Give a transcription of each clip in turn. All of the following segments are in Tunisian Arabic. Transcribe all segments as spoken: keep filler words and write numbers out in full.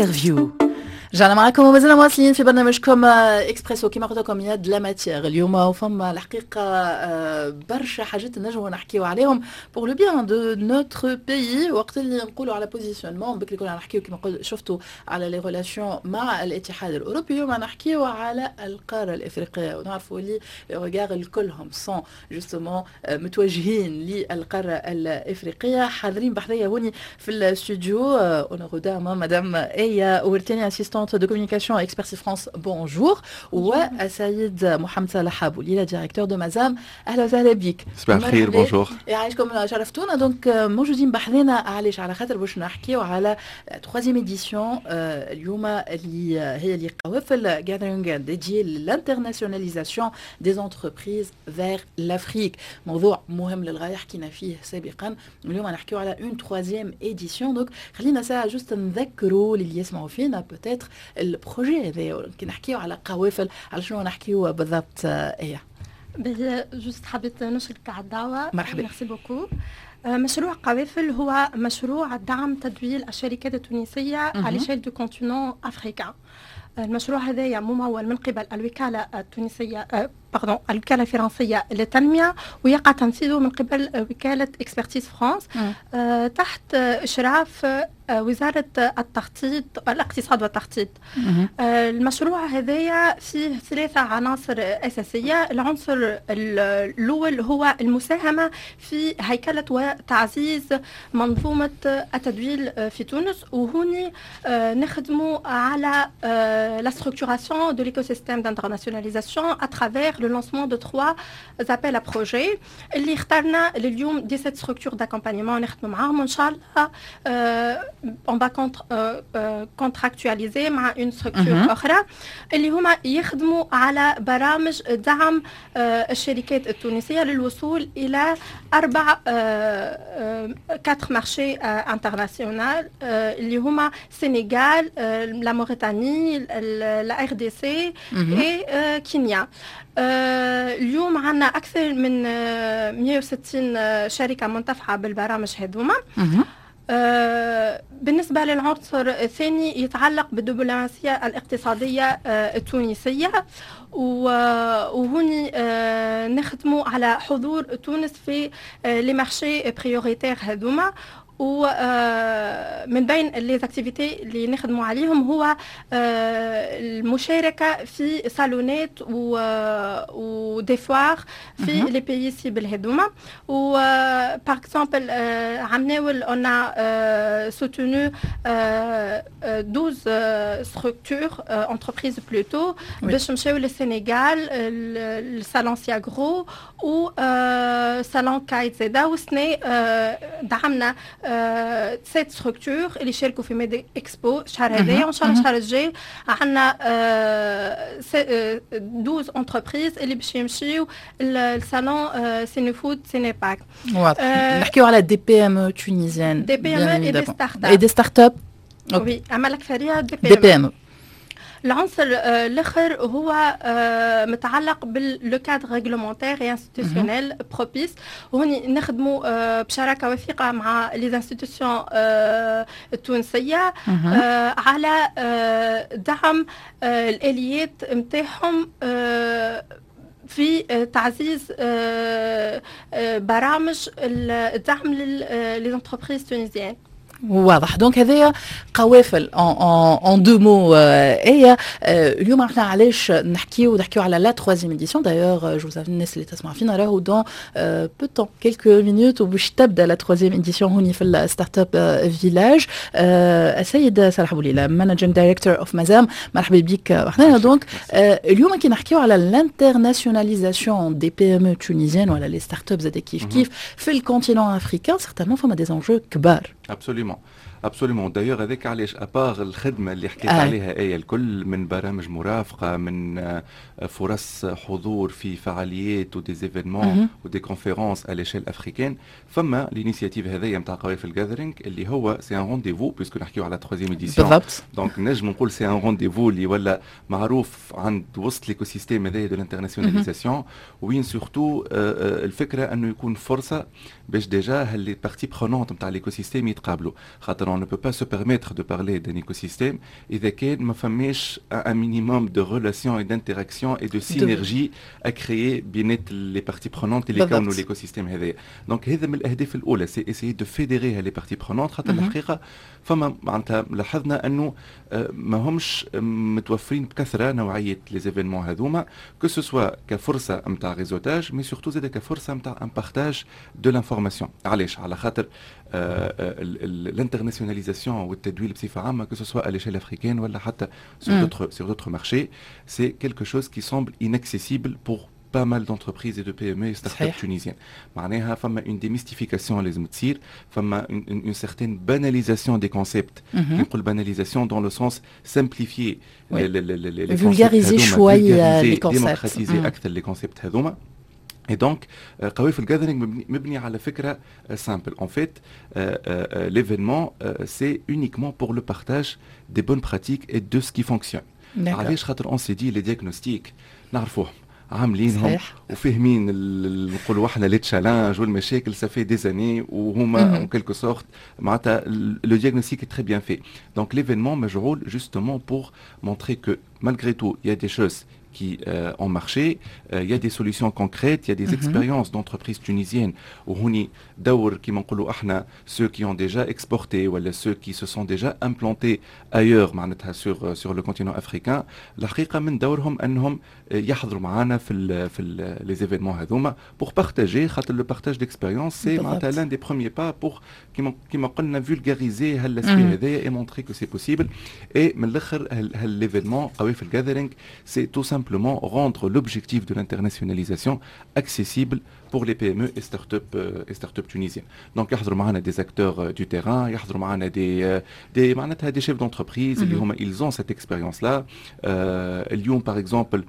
Interview. رجعنا معكم ومازلنا مواصلين في برنامجكم اكسبريسو. كما قلت لكم، il y a de la matière اليوم، وفما الحقيقة آه، برشا حاجات نجموا نحكيو عليهم pour le bien de notre pays. وقت اللي نقولوا على positionnement، بكري كنا نحكيو كما قلت شفتوا على les relations مع الاتحاد الاوروبي، اليوم نحكيو على القارة الافريقيه، ونعرفوا اللي les regards الكلهم sont justement متوجهين للقارة الافريقيه. حاضرين بحذايا هوني في الاستوديو honneur aux dames، madame ايا ورتاني، assistante de communication Expertise France، bonjour، والسيد محمد صلاح بوليلة، directeur de Mazam، اهلا وسهلا بك. صباح الخير، bonjour. يعيشكم، شرفتونا. donc موجودين بحذنا علاش؟ على خاطر باش نحكيو على troisième édition اليوم اللي هي اللي قوافل gathering dédié l'internationalisation des entreprises vers l'Afrique. موضوع مهم للغايه، حكينا فيه سابقا، اليوم نحكيو على une troisième édition. donc خلينا ساعة juste نذكروا للي يسمعوا فينا peut-être ال projet هذا. كي نحكيو على قوافل، على شنو نحكيو بالضبط ايه؟ باهي، juste حبيت نشكرك على الدعوة. مرحبا. merci beaucoup. مشروع قوافل هو مشروع دعم تدويل الشركات التونسية على l'échelle du continent africain. المشروع هذايا ممول من قبل الوكالة التونسية، pardon، الوكالة الفرنسية للتنمية، ويقع تنفيذه من قبل وكالة Expertise France تحت إشراف وزارة التخطيط، الاقتصاد والتخطيط. المشروع هذايا فيه ثلاثة عناصر أساسية. العنصر الأول هو المساهمة في هيكلة وتعزيز منظومة التدويل في تونس، وهوني نخدموا على la structuration de l'écosystème d'internationalisation à travers le lancement de trois appels à projets اللي اخترنا لليوم dix-sept structures d'accompagnement نخدموا معاهم، وان شاء الله on va contractualiser مع une structure اخرى اللي هما يخدموا على برامج دعم الشركات التونسية للوصول الى اربع quatre marchés internationaux اللي هما السنغال، la Mauritanie، la RDC et كينيا. اليوم عندنا اكثر من مية وستين شركة منتفعه بالبرامج هذوما. بالنسبة للعنصر الثاني يتعلق بالدبلوماسية الاقتصادية التونسية، وهوني نخدموا على حضور تونس في les marchés prioritaires هذوما. ومن بين les activités اللي نخدموا عليهم هو المشاركة في صالونات و des foires في les pays cibles هذوما. و par exemple عمناول on a soutenu douze structures، entreprises plutôt، باش مشاو للسنغال، ال salon SIAGRO و salon CAIT زادا. وسنة دعمنا sept structures اللي شاركوا في Med Expo الشهر هذايا، وان شاء الله الشهر الجاي عندنا douze entreprises اللي باش يمشيو ال salon Sénéfood Sénépac. واضح، نحكيو على des PME tunisiennes؟ des PME et des startups. et des startups. oui، اما الاكثرية des P des PME. العنصر الاخر هو متعلق بال le cadre réglementaire et institutionnel propice. وهوني نخدموا بشراكه وثيقة مع les institutions التونسية على دعم الاليات نتاعهم في تعزيز برامج الدعم les entreprises tunisiennes. واضح. donc هذايا قوافل en deux mots. ايه، اليوم احنا علاش نحكيو؟ نحكيو على la troisième édition. d'ailleurs je vous الناس اللي تسمع فينا، راهو dans peu de temps، quelques minutes، وباش تبدا la troisième édition هوني في ال Startup Village. السيد صلاح بوليله، managing director of Mazam، مرحبا بك معنا. donc اليوم كي نحكيو على l'internationalisation des PME tunisiennes ولا les startups زاد كيف كيف في ال continent africain، certainement فما des enjeux كبار. absolument absolument. d'ailleurs هذاك علاش، à part الخدمة اللي حكيت آه. عليها ايه الكل، من برامج مرافقه، من آه، فرص حضور في فعاليات و des événements و des conférences à l'échelle africaine، فما l'initiative هذايا نتاع قوافل gathering اللي هو c'est un rendez-vous، puisque نحكيو على troisième édition. بالضبط. donc نجم نقول c'est un rendez-vous اللي ولا معروف عند وسط l'écosystème هذايا de l'internationalisation، وين surtout الفكرة انه يكون فرصة باش déjà les parties prenantes نتاع l'écosystème يتقابلوا. يتقابلوا، خاطر on ne peut pas se permettre de parler d'un écosystème اذا كان ما فماش un minimum de relations et d'interactions et de synergie à créer بينات les parties prenantes اللي يكونوا l'écosystème هذايا. donc هذا من الاهداف الاولى، c'est essayer de fédérer les parties prenantes، خاطر الحقيقة فما معناتها لاحظنا انه ما همش متوفرين بكثرة نوعية les événements هذوما، que ce soit كفرصه نتاع réseautage، mais surtout زاد كفرصه نتاع un partage de l'information. علاش؟ على خاطر l'internationalisation والتدويل بصفة عامه، que ce soit à l'échelle africaine ولا حتى sur d'autres sur d'autres marchés، c'est quelque chose qui semble inaccessible pour pas mal d'entreprises et de PME et startups tunisiennes. معناها فما une démystification لازم تصير، فما une, une, une certaine banalisation des concepts. نقول banalisation dans le sens simplifier oui. les, les, les, les vulgariser شوية les concepts، démocratiser اكثر les concepts هذوما. Et donc, قوافل Gathering مبني على فكرة simple. En fait, l'événement, c'est uniquement pour le partage des bonnes pratiques et de ce qui fonctionne. علاش؟ خاطر on s'est dit les diagnostics نعرفوهم، عاملينهم وفاهمين، نقولوا احنا les challenges والمشاكل، ça fait des années وهما en quelque sorte معناتها le diagnostic est très bien fait. donc l'événement مجعول justement pour montrer que malgré tout il y a des choses qui euh, ont marché. Euh, il y a des solutions concrètes, il y a des mm -hmm. expériences d'entreprises tunisiennes. وهوني دور كيما نقولوا احنا ceux qui ont déjà exporté ou ceux qui se sont déjà implantés ailleurs معناتها sur sur le continent africain. الحقيقة من دورهم انهم يحضروا معنا في ال في les événements هذوما pour partager، خاطر le partage d'expérience c'est معناتها l'un des premiers pas pour كيما كيما قلنا vulgariser هال aspect هذايا et montrer que c'est possible. et من الاخر l'événement قوافل Gathering، c'est tout simplement rendre l'objectif de l'internationalisation accessible pour les PME et start-up et start-up tunisiennes. Donc يحضروا معنا des acteurs du terrain، يحضروا معنا des des معناتها des chefs d'entreprise اللي هما ils ont cette expérience là. اليوم par exemple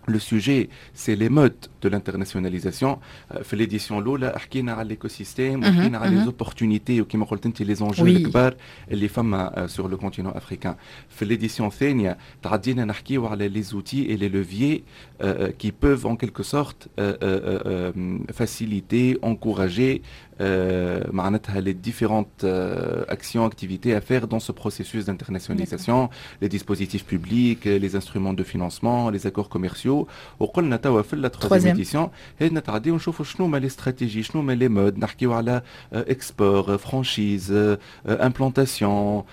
le sujet، c'est les modes de l'internationalisation. في l'édition الأولى حكينا على l'écosystème وحكينا على les opportunités وكما قلت انت les enjeux الكبار اللي فما sur le continent africain. في l'édition الثانية تعدينا نحكيو على les outils et les leviers qui peuvent en quelque sorte faciliter، encourager معناتها les différentes actions، activités à faire dans ce processus d'internationalisation، les dispositifs publics، les instruments de financement، les accords commerciaux. وقلنا توا في la troisième édition هنا نتعديو نشوفوا شنو هما les stratégies، شنو هما les modes، نحكيو على export، franchise، implantation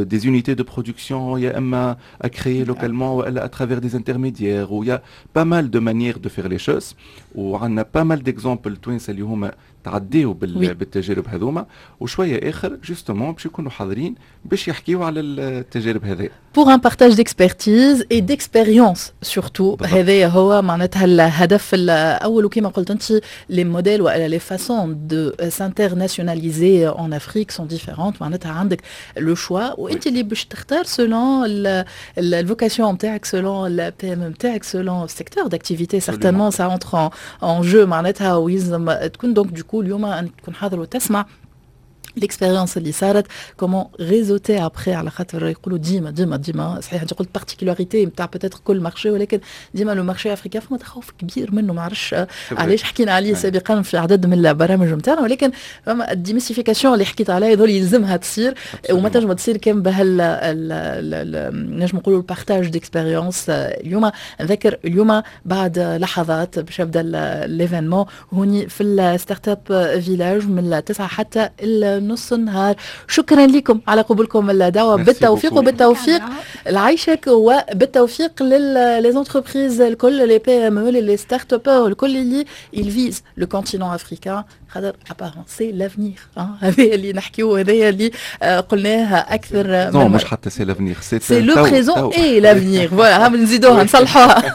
des unités de production يا اما à créer localement والا à travers des intermédiaires، و il y a pas mal de manières de faire les choses، وعندنا pas mal d'exemples توانسة اللي هما تعديو بالتجارب هذوما، وشوية اخر justement باش يكونوا حاضرين باش يحكيو على التجارب هذه. pour un partage d'expertise et d'expérience surtout، هذا هو معناتها الهدف الاول. وكما قلت انت les modèles والا les façons de s'internationaliser en Afrique sont différentes، معناتها عندك le choix وانت اللي باش تختار selon ال vocation نتاعك، selon ال PME نتاعك، selon secteur d'activité، certainement ça entre en jeu معناتها. ويلزم تكون donc du coup اليوم انك تكون حاضر وتسمع l'expérience اللي صارت، comment réseauter après، على خاطر يقولوا ديما ديما ديما، صحيح انت قلت particularité نتاع peut-être كل marché، ولكن ديما le marché africain فما تخوف كبير منه، ما عرفش علاش، حكينا عليه سابقا في عدد من البرامج نتاعنا. ولكن فما ال démystification اللي حكيت عليها يظل يلزمها تصير، وما تنجم تصير كان بهال نجم نقولوا ال partage d'expérience. اليوم نذكر اليوم بعد لحظات باش يبدا l'événement هوني في ال Startup Village من التسعة حتى نص النهار. شكرا لكم على قبولكم الدعوه، بالتوفيق وبالتوفيق لعيشك، وبالتوفيق les entreprises الكل، les PME، les startuppeurs الكل اللي ils visent le continent africain، خاطر apparemment c'est l'avenir. هذا اللي نحكيو، هذا اللي قلناه اكثر. non، مش حتى c'est l'avenir، c'est c'est le présent et l'avenir، voilà، نزيدوها نصلحوها.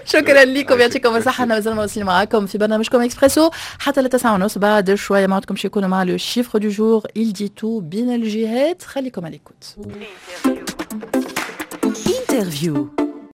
شكرا لكم، يعطيكم الصحه. انا مازال مواصلين معاكم في برنامجكم اكسبريسو حتى لتسعة ونص. بعد شوية معكم باش يكونوا مع le chiffre du jour، il dit tout بين الجهات. خليكم à l'écoute. interview.